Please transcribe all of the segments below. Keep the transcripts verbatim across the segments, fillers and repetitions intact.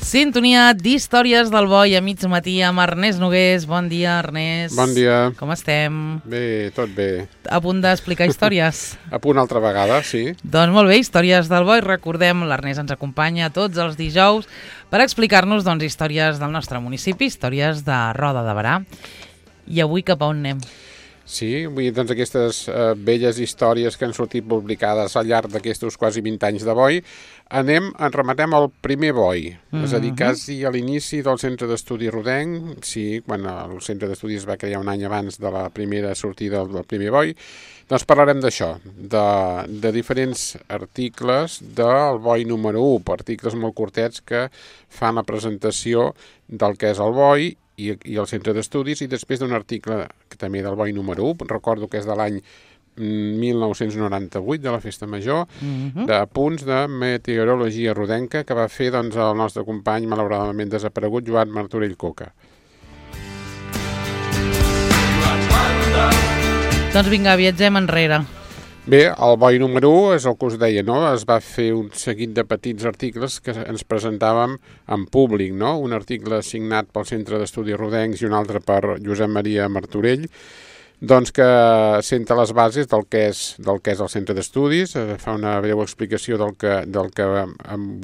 Sintonia d'Històries del Boi a mig matí amb Ernest Nogués. Bon dia, Ernest. Bon dia. Com estem? Bé, tot bé. A punt d'explicar històries? A punt altra vegada, sí. Doncs molt bé, Històries del Boi. Recordem, l'Ernest ens acompanya tots els dijous per explicar-nos doncs, històries del nostre municipi, històries de Roda de Berà. I avui cap a on anem? Sí, vull dir, doncs aquestes eh, belles històries que han sortit publicades al llarg d'aquests quasi vint anys de Boi, anem, en rematem al primer Boi, mm-hmm. és a dir, quasi a l'inici del Centre d'Estudi Rodenc, sí, quan el Centre d'Estudis es va crear un any abans de la primera sortida del primer Boi, doncs parlarem d'això, de, de diferents articles del Boi número u, articles molt curtets que fan la presentació del que és el Boi i, i el centre d'estudis, i després d'un article que també del Boi número u, recordo que és de l'any mil nou-cents noranta-vuit, de la Festa Major, mm-hmm. de punts de meteorologia rodenca que va fer doncs, el nostre company malauradament desaparegut, Joan Martorell Coca. Doncs vinga, viatgem enrere. Bé, el Boi número u és el que us deia, no? Es va fer un seguit de petits articles que ens presentàvem en públic, no? Un article signat pel Centre d'Estudis Rodencs i un altre per Josep Maria Martorell, doncs que senta les bases del que és, del que és el Centre d'Estudis, fa una breu explicació del que, del que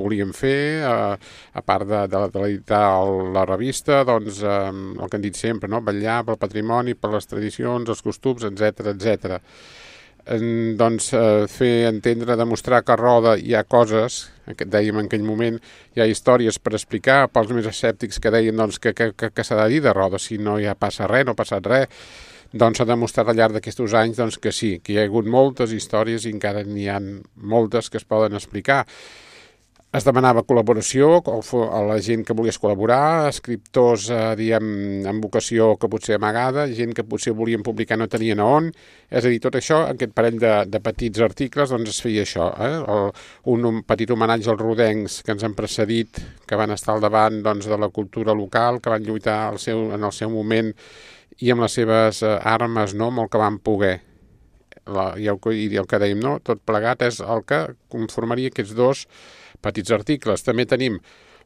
volíem fer, a, a part de, de, de l'editar la revista, doncs el que hem dit sempre, no? Vetllar pel patrimoni, per les tradicions, els costums, etcètera, etcètera. En, doncs eh, fer entendre, demostrar que a Roda hi ha coses, que dèiem en aquell moment, hi ha històries per explicar pels més escèptics que deien doncs, que, que, que, que s'ha de dir de Roda, si no hi ha passa res, no ha passat res, doncs s'ha demostrat al llarg d'aquests anys doncs, que sí, que hi ha hagut moltes històries i encara n'hi ha moltes que es poden explicar. Es demanava col·laboració a la gent que volies col·laborar, escriptors eh, diem, amb vocació que potser amagada, gent que potser volien publicar no tenien a on, és a dir, tot això, aquest parell de, de petits articles, doncs es feia això, eh? el, un, un petit homenatge als rodencs que ens han precedit, que van estar al davant doncs, de la cultura local, que van lluitar al seu, en el seu moment i amb les seves eh, armes, no?, amb el que van poder. La, i, el, I el que dèiem, no?, tot plegat és el que conformaria aquests dos petits articles. També tenim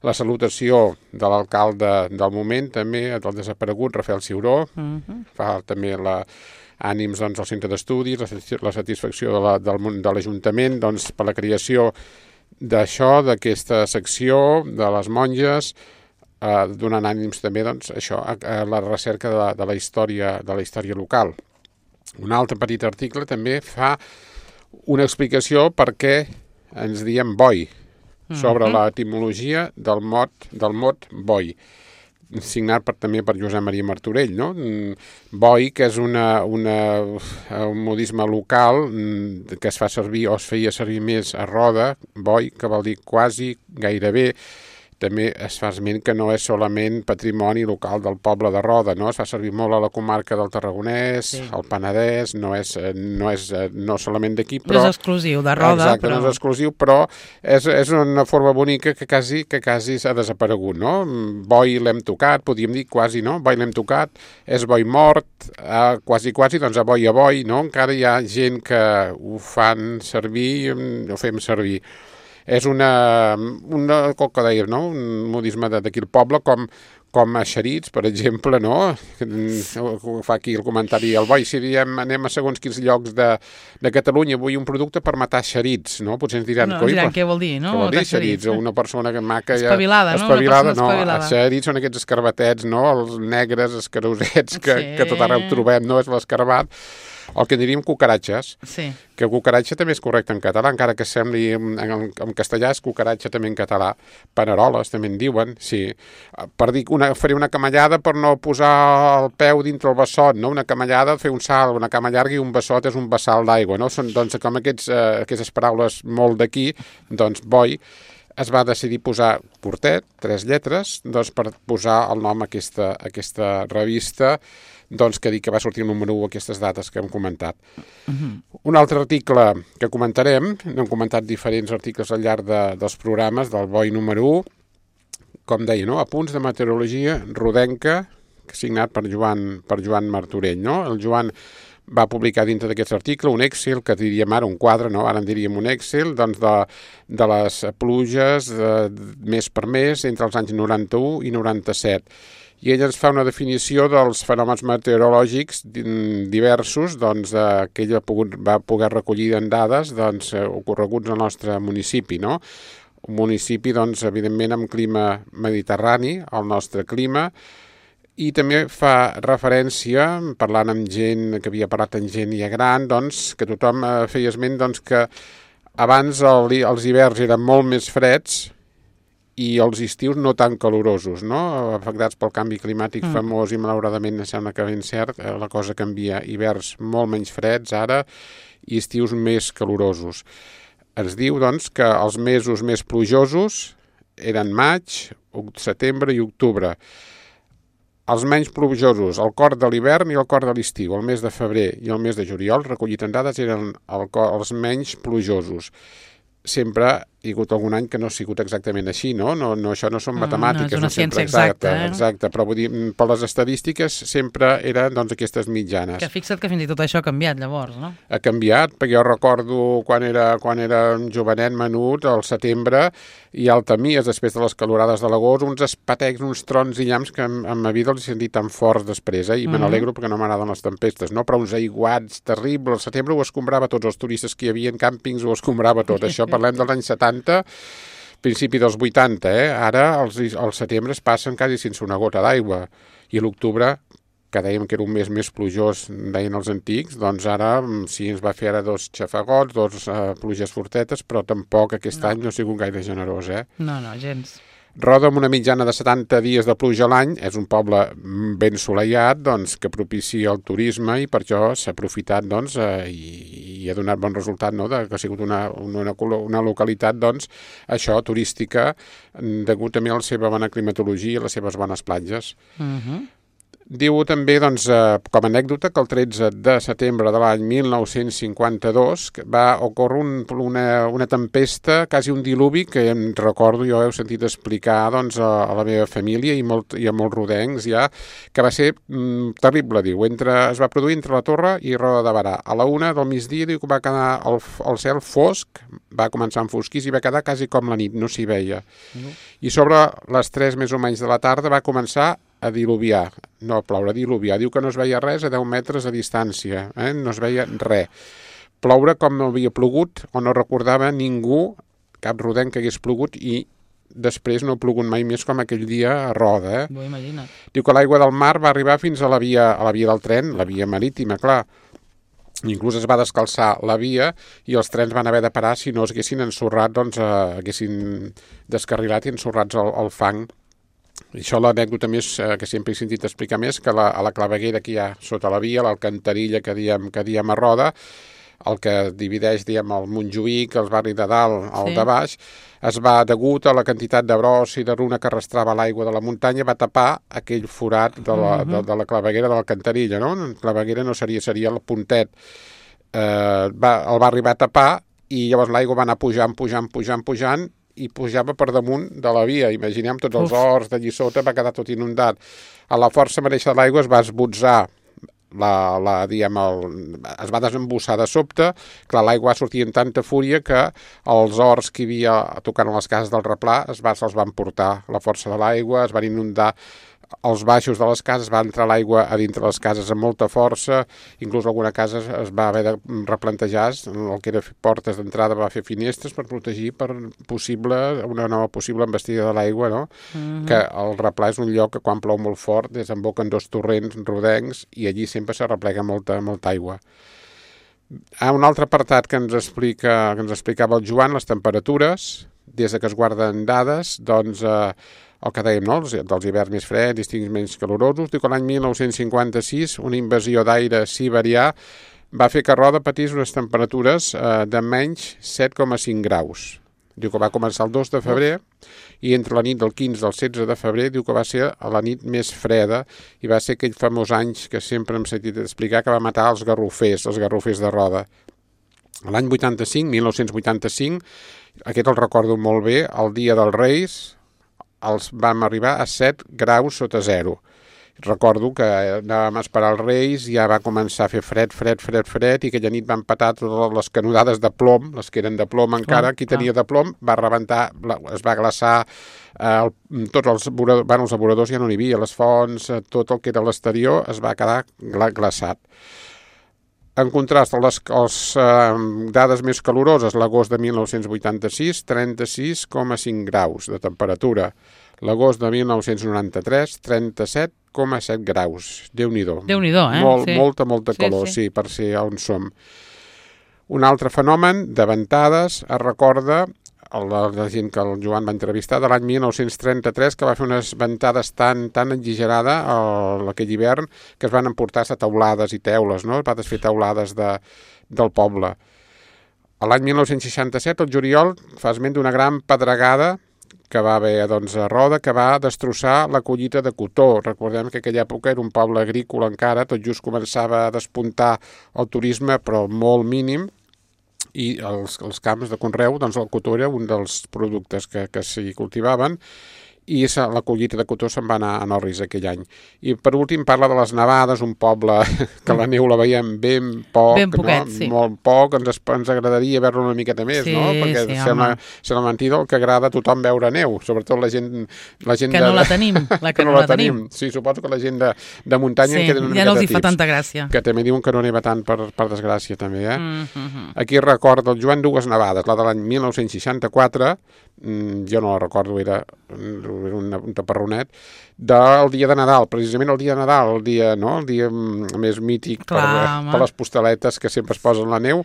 la salutació de l'alcalde del moment, també del desaparegut Rafael Ciuró, uh-huh. fa també la, ànims doncs, al centre d'estudis, la, la satisfacció de, la, del, de l'Ajuntament doncs, per la creació d'això, d'aquesta secció de les monges, eh, donant ànims també doncs, això, a, a la recerca de la, de, la història, de la història local. Un altre petit article també fa una explicació per què ens diem Boi, sobre l'etimologia del mot, del mot Boi, signat per, també per Josep Maria Martorell, no? Boi, que és una, una, un modisme local que es fa servir o es feia servir més a Roda, Boi, que vol dir quasi, gairebé. També es fa esment que no és solament patrimoni local del poble de Roda, no? Es fa servir molt a la comarca del Tarragonès, sí. Al Penedès, no és, no és no solament d'aquí, però... No és exclusiu de Roda, exacte, però... no és exclusiu, però és, és una forma bonica que quasi, que quasi s'ha desaparegut, no? Boi l'hem tocat, podríem dir quasi, no? Boi l'hem tocat, és boi mort, eh, quasi, quasi, doncs a boi a boi, no? Encara hi ha gent que ho fan servir, ho fem servir. És una, una com que dèiem, no? Un modisme d'aquí al poble, com, com a Xerits, per exemple, no? Fa aquí el comentari al Boi, si diem anem a segons quins llocs de, de Catalunya, vull un producte per matar Xerits, no? Potser ens diran... No, ens diran què vol dir, no? Què vol dir Xerits? Una persona que maca... Espavilada, ja, no? Espavilada, no? Espavilada. Xerits són aquests escarbatets, no? Els negres, escarosets, que, sí. que tot arreu trobem, no? És l'escarbat. El que diríem cucaratges, sí. que cucaratge també és correcte en català, encara que sembli en, en, en castellà és cucaratge també en català, paneroles també en diuen, sí, per dir, una, faré una camallada per no posar el peu dintre el bessot, no? Una camallada, fer un salt, una cama llarga i un bessot és un vessal d'aigua, no? Són, doncs, com aquests, eh, aquestes paraules molt d'aquí, doncs, Boi, es va decidir posar curtet, tres lletres, doncs, per posar el nom a aquesta, a aquesta revista, doncs que dic que va sortir el número u aquestes dates que hem comentat. Uh-huh. Un altre article que comentarem, hem comentat diferents articles al llarg de, dels programes del Boi número u, com deia, no? Apunts de meteorologia rodenca, signat per Joan, per Joan Martorell, no? El Joan va publicar dintre d'aquest article un Excel, que diríem ara un quadre, no? Ara en diríem un Excel, doncs de, de les pluges de, mes per mes entre els anys noranta-u i noranta-set. I ell ens fa una definició dels fenòmens meteorològics diversos doncs, eh, que ell ha pogut, va poder recollir en dades doncs, eh, ocorreguts al nostre municipi, no? Un municipi, doncs, evidentment, amb clima mediterrani, el nostre clima, i també fa referència, parlant amb gent que havia parlat amb gent ja gran, doncs, que tothom feia esment doncs, que abans el, els hiverns eren molt més freds i els estius no tan calorosos, no? Afectats pel canvi climàtic mm. famós i malauradament sembla que ben cert, la cosa canvia. Hiverns molt menys freds ara i estius més calorosos. Ens diu doncs, que els mesos més plujosos eren maig, setembre i octubre. Els menys plujosos, el cor de l'hivern i el cor de l'estiu, el mes de febrer i el mes de juliol, recollit en dades, eren el cor, els menys plujosos. Sempre hi ha hagut algun any que no ha sigut exactament així, no? no, no això no són matemàtiques. No, és una no sempre, ciència exacta. Exacte, eh? exacte, però vull dir, per les estadístiques sempre eren doncs, aquestes mitjanes. Que fixa't que fins i tot això ha canviat llavors, no? Ha canviat, perquè jo recordo quan era, quan era un jovenet menut, al setembre, i al Tamies, després de les calorades de l'agost, uns espatecs, uns trons i llamps que en, en ma vida els he sentit tan forts després, eh? I mm-hmm. me n'alegro perquè no m'agraden les tempestes, no? Però uns aiguats terribles, al setembre ho escombrava tots, els turistes que hi havia en càmpings ho escombrava tot, això parlem dels anys setanta, principi dels vuitanta, eh? Ara els, els setembre es passen quasi sense una gota d'aigua i l'octubre, que dèiem que era un mes més plujós, deien els antics, doncs ara sí ens va fer ara dos xafagots, dos uh, pluges fortetes, però tampoc aquest no. any no ha sigut gaire generós, eh? No, no, gens. Roda amb una mitjana de setanta dies de pluja a l'any, és un poble ben assolellat, doncs, que propicia el turisme i per això s'ha aprofitat doncs, eh, i, i ha donat bon resultat, no?, de, que ha sigut una, una, una localitat doncs, això, turística, degut també a la seva bona climatologia i les seves bones platges. Uh-huh. Diu també, doncs, eh, com a anècdota, que el tretze de setembre de l'any mil nou-cents cinquanta-dos va ocórrer un, una, una tempesta, quasi un diluvi, que em recordo, jo heu sentit explicar doncs, a, a la meva família i, molt, i a molts rodencs ja, que va ser mm, terrible, diu. Entre, es va produir entre la Torre i Roda de Berà. A la una del migdia diu que va quedar el, el cel fosc, va començar a enfosquir i va quedar quasi com la nit, no s'hi veia. Uh-huh. I sobre les tres més o menys de la tarda va començar a diluviar, no a ploure, a diluviar. Diu que no es veia res a deu metres a distància, eh? No es veia res. Ploure com no havia plogut, o no recordava ningú, cap rodenc que hagués plogut, i després no ha plogut mai més com aquell dia a Roda. Eh? Bo, imagina't. Diu que l'aigua del mar va arribar fins a la via, a la via del tren, la via marítima, clar. Inclús es va descalçar la via i els trens van haver de parar si no es haguessin ensorrat, doncs eh, haguessin descarrilat i ensorrats al, al fang. I això l'anècdota més eh, que sempre he sentit explicar més, que la, a la claveguera que hi ha sota la via, l'alcantarilla que diem, que diem a Roda, el que divideix, diem, el Montjuïc, el barri de dalt, el sí. de baix, es va, degut a la quantitat de bros i de runa que arrastrava l'aigua de la muntanya, va tapar aquell forat de la, uh-huh. de, de la claveguera de l'alcantarilla, no? La claveguera no seria, seria el puntet. Eh, va, el va arribar a tapar i llavors l'aigua va anar pujant, pujant, pujant, pujant, i pujava per damunt de la via. Imaginem tots els Uf. horts d'allí sota, va quedar tot inundat. A la força mateixa de l'aigua es va esbotzar, la, la, diguem, el, es va desembussar de sobte, clar, l'aigua va sortir amb tanta fúria que els horts que hi havia tocant a les cases del replà es va, se'ls van portar la força de l'aigua, es van inundar els baixos de les cases, va entrar l'aigua a dintre les cases amb molta força, inclús alguna casa es va haver de replantejar, el que era portes d'entrada va fer finestres per protegir per possible, una nova possible embestida de l'aigua, no? Mm-hmm. Que el replà és un lloc que quan plou molt fort desemboquen dos torrents rodencs i allí sempre s'arreplega molta, molta aigua. Ah, un altre apartat que ens explica, que ens explicava el Joan, les temperatures, des de que es guarden dades, doncs eh, el que dèiem, no? dels hiverns més freds, estius menys calorosos. Diu que l'any mil nou-cents cinquanta-sis una invasió d'aire siberià va fer que Roda patís unes temperatures eh, de menys set coma cinc graus. Diu que va començar el dos de febrer i entre la nit del quinze al setze de febrer diu que va ser la nit més freda i va ser aquell famós anys que sempre hem sentit explicar que va matar els garrofers, els garrofers de Roda. L'any vuitanta-cinc, mil nou-cents vuitanta-cinc, aquest el recordo molt bé, el dia dels Reis, els vam arribar a set graus sota zero. Recordo que anàvem a esperar els Reis, ja va començar a fer fred, fred, fred, fred, i aquella nit van petar totes les canonades de plom, les que eren de plom encara, qui tenia de plom va rebentar, es va glaçar, eh, el, tots els voradors, bueno, els avoradors ja no n'hi havia, les fonts, eh, tot el que era l'exterior es va quedar gla glaçat. En contrast, les, les eh, dades més caloroses, l'agost de mil nou-cents vuitanta-sis, trenta-sis coma cinc graus de temperatura. L'agost de mil nou-cents noranta-tres, trenta-set coma set graus. Déu-n'hi-do. Déu-n'hi-do, eh? Molt, sí. Molta, molta calor, sí, sí. sí, per ser on som. Un altre fenomen de ventades es recorda la, la gent que el Joan va entrevistar de l'any mil nou-cents trenta-tres, que va fer unes ventades tan, tan exagerada el, aquell hivern que es van emportar a teulades i teules, no? Es va desfer teulades de, del poble. A l'any mil nou-cents seixanta-set, el juliol, fa esment d'una gran pedregada que va haver doncs, a Roda, que va destrossar la collita de cotó. Recordem que aquella època era un poble agrícola encara, tot just començava a despuntar el turisme, però molt mínim, i els, els camps de conreu, doncs el cotó era un dels productes que, que s'hi cultivaven, i la collita de cotó se'n va anar a Norris aquell any. I per últim parla de les nevades, un poble que la neu la veiem ben poc, ben poquet, no? sí. molt poc, ens, ens agradaria veure-la una miqueta més, sí, no? Perquè sí, sembla, sembla mentida el que agrada a tothom veure neu, sobretot la gent... La gent que de, no la tenim, la que, que no, no la tenim. tenim. Sí, suposo que la gent de, de muntanya sí, en queden una ja miqueta no els hi tips, fa tanta gràcia. Que també diuen que no neva tant per, per desgràcia, també, eh? Mm -hmm. Aquí recorda el Joan dues nevades, la de l'any mil nou-cents seixanta-quatre, jo no la recordo, era, era un, un taparronet, del dia de Nadal, precisament el dia de Nadal, el dia, no? el dia més mític Clar, per, per les postaletes que sempre es posen la neu.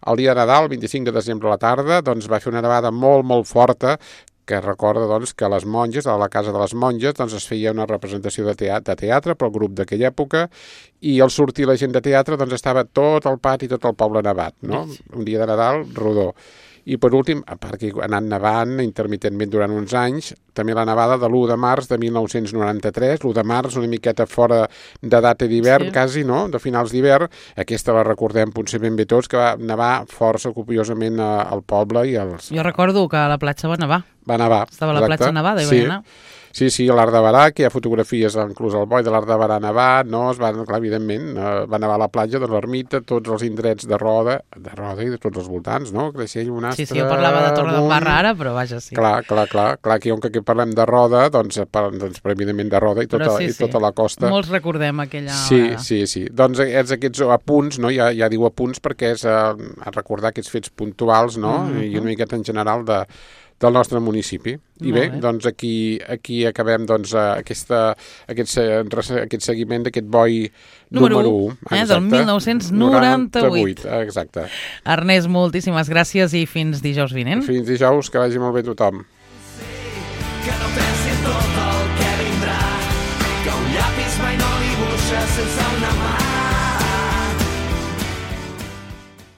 El dia de Nadal, vint-i-cinc de desembre a la tarda, doncs va fer una nevada molt, molt forta, que recorda doncs, que a les monges, a la casa de les monges, doncs, es feia una representació de teatre, de teatre pel grup d'aquella època, i al sortir la gent de teatre doncs, estava tot el pati, tot el poble nevat, no? Un dia de Nadal rodó. I per últim, a part que ha anat nevant intermitentment durant uns anys, també la nevada de l'u de març de mil nou-cents noranta-tres, l'u de març una miqueta fora de data d'hivern, sí. quasi, no?, de finals d'hivern. Aquesta la recordem potser ben bé tots, que va nevar força copiosament al poble i als... Jo recordo que a la platja va nevar. Va nevar. Estava a la platja nevada i sí. va anar. Sí, sí, a l'Arc de Barà, que hi ha fotografies inclús al boi de l'Arc de Barà nevat, no? Es va, clar, evidentment, eh, va nevar a la platja, doncs l'ermita, tots els indrets de Roda, de Roda i de tots els voltants, no? Creixell, Bonastre... Sí, sí, jo parlava de Torre d'en Barra ara, però vaja, sí. Clar, clar, clar, clar, que que parlem de Roda, doncs, per, doncs per, evidentment de Roda i tota, sí, sí. i tota la costa. Molts recordem aquella sí, hora. Sí, sí, doncs és aquests apunts, no? Ja, ja diu apunts perquè és a, a recordar aquests fets puntuals, no? Mm-hmm. I una miqueta en general de del nostre municipi. I bé, bé, doncs aquí, aquí acabem doncs, aquesta, aquest, aquest seguiment d'aquest boi número, número u. Eh, del mil nou-cents noranta-vuit. Exacte. Ernest, moltíssimes gràcies i fins dijous vinent. Fins dijous, que vagi molt bé tothom. Que no pensi en tot el que vindrà, que un llapis mai no dibuixa sense una mà.